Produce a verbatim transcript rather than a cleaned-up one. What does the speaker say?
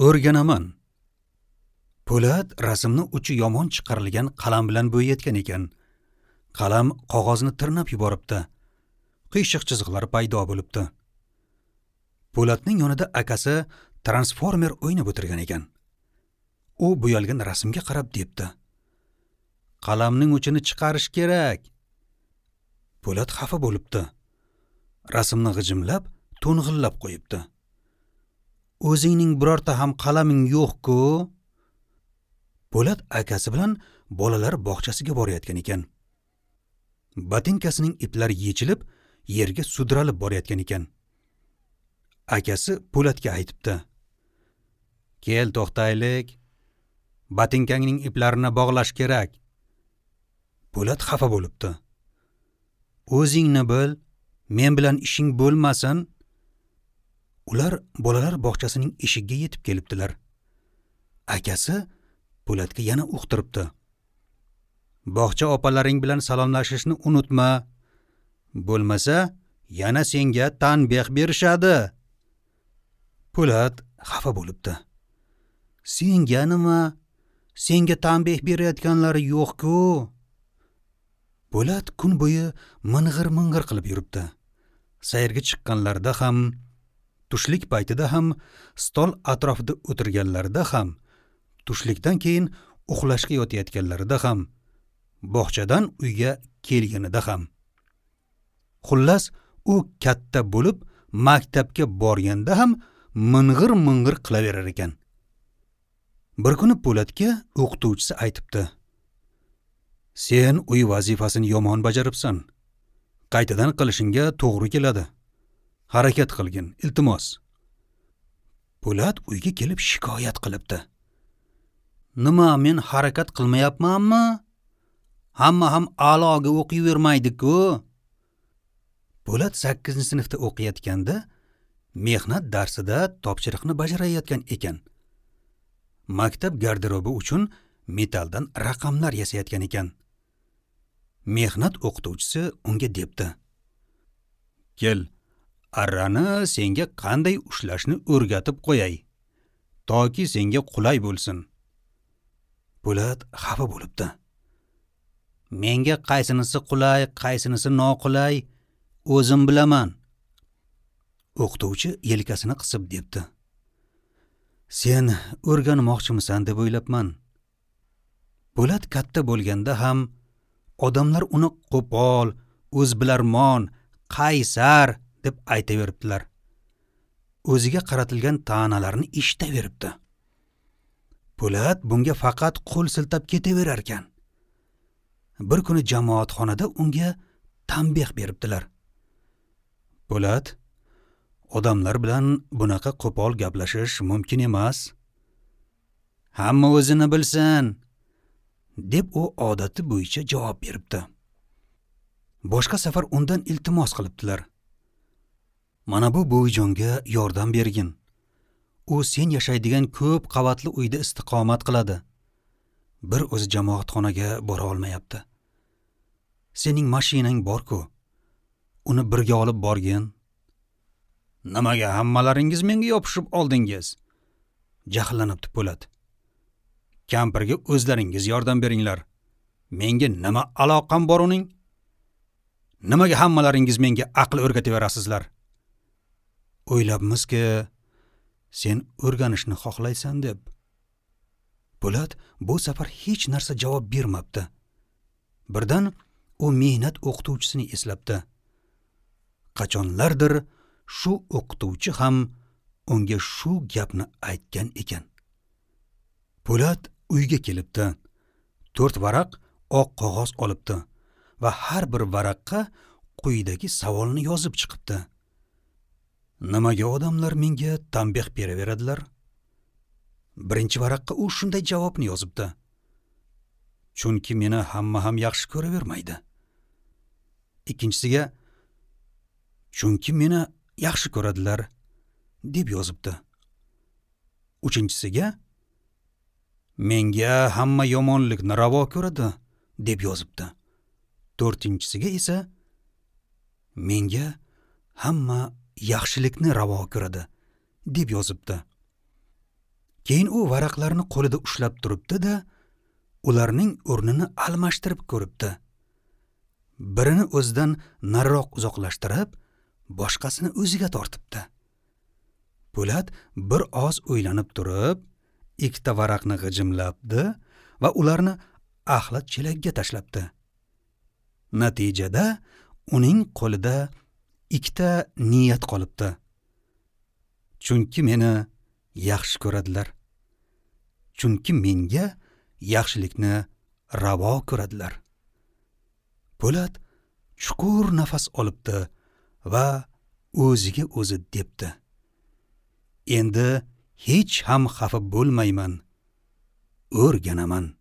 O'rganaman. Po'lat rasmni uchi yomon chiqarilgan qalam bilan bo'yayotgan ekan. Qalam qog'ozni tirnab yuboribdi. Qiyshiq chiziqlar paydo bo'libdi. Po'latning yonida akasi transformer o'ynab o'tirgan ekan. U bo'yalgan rasmga qarab debdi: "Qalamning uchini chiqarish kerak." Po'lat xafa bo'libdi. Rasmni g'ijimlab, to'ng'illab qo'yibdi. "O'zingning birorta ham qalaming yo'q-ku." Po'lat akasi bilan bolalar bog'chasiga borayotgan ekan. Botinkasining iplari yechilib, yerga sudralib borayotgan ekan. Akasi Po'latga aytibdi: "Kel, to'xtaylik. Botinkangning iplarini bog'lash kerak." Po'lat xafa bo'libdi. "O'zingni bil, men bilan ishing bo'lmasin." Ular bolalar bog'chasining eshigiga yetib kelibdilar. Akasi Po'latga yana uqtiribdi: "Bog'cha opalaring bilan salomlashishni unutma. Bo'lmasa yana senga tanbeh berishadi." Po'lat xafa bo'libdi. "Senga nima? Senga tanbeh berayotganlari yo'q-ku." Po'lat kun bo'yi ming'ir-ming'ir qilib yuribdi. Sayrga chiqqanlarida ham, tushlik paytida ham, stol atrofida o'tirganlarida ham, tushlikdan keyin uxlashga yotayotganlarida ham, bog'chadan uyga kelganida ham. Xullas, u katta bo'lib maktabga borganda ham ming'ir-ming'ir qilaverar ekan. Bir kuni Po'latga o'qituvchisi aytibdi: "Sen uy vazifasini yomon bajaribsan. Qaytadan qilishingga to'g'ri keladi. Harakat qilgin, iltimos." Po'lat uyga kelib shikoyat qilibdi. "Nima, men harakat qilmayapmanmi? Hamma ham a'loga o'qiyvermaydi-ku." Po'lat sakkizinchi sinfda o'qiyotganda mehnat darsida topshiriqni bajarayotgan ekan. Maktab garderobi uchun metalldan raqamlar yasayotgan ekan. Mehnat o'qituvchisi unga debdi: "Kel, arrani senga qanday ushlashni o'rgatib qo'yay, toki senga qulay bo'lsin." Po'lat xafa bo'libdi. "Menga qaysinisi qulay, qaysinisi noqulay, o'zim bilaman." O'qituvchi yelkasini qisib debdi: "Sen o'rganmoqchimisan deb o'ylabman." Po'lat katta bo'lganda ham odamlar uni qo'pol, o'zbilarmon, qaysar deb aytaveribdilar. O'ziga qaratilgan ta'nalarni eshitaveribdi. Po'lat bunga faqat qo'l siltab ketaverar ekan. Bir kuni jamoatxonada unga tanbeh beribdilar. "Po'lat, odamlar bilan bunaqa qo'pol gaplashish mumkin emas. Hamma o'zini bilsin," deb u odati bo'yicha javob beribdi. Boshqa safar undan iltimos qilibdilar: "Mana bu buvijonga yordam bergin. U sen yashaydigan ko'p qavatli uyda istiqomat qiladi. Bir o'zi jamoatxonaga bora olmayapti. Sening mashinang bor-ku. Uni birga olib borgin." "Nimaga hammalaringiz menga yopishib oldingiz?" Jahllanibdi Po'lat. "Kampirga o'zlaringiz yordam beringlar. Menga nima aloqam bor uning? Nimaga hammalaringiz menga aql o'rgataverasizlar? O'ylabmizki, sen o'rganishni xohlaysan deb." Po'lat bu safar hech narsa javob bermabdi. Birdan u mehnat o'qituvchisini eslabdi. Qachonlardir shu o'qituvchi ham unga shu gapni aytgan ekan. Po'lat uyga kelibdi. To'rt varaq oq qog'oz olibdi va har bir varaqqa quyidagi savolni yozib chiqibdi: "Nimaga odamlar menga tanbeh beraveradilar?" Birinchi varaqqa u shunday javobni yozibdi: "Chunki meni hamma ham yaxshi ko'ravermaydi." Ikkinchisiga: "Chunki meni yaxshi ko'radilar" deb yozibdi. Uchinchisiga: "Menga hamma yomonlikni ravo ko'radi" deb yozibdi. To'rtinchisiga esa: "Menga hamma yaxshilikni ravo ko'radi" deb yozibdi. Keyin u varaqlarni qo'lida ushlab turibdi-da, ularning o'rnini almashtirib ko'ribdi. Birini o'zidan nariroq uzoqlashtirib, boshqasini o'ziga tortibdi. Po'lat bir oz o'ylanib turib, ikkita varaqni g'ijimlabdi va ularni axlat chelagiga tashlabdi. Natijada uning qo'lida ikkita niyat qolibdi. Chunki meni yaxshi ko'radilar. Chunki menga yaxshilikni ravo ko'radilar. Po'lat chuqur nafas olibdi va o'ziga o'zi debdi: Endi hech ham xafa bo'lmayman, o'rganaman.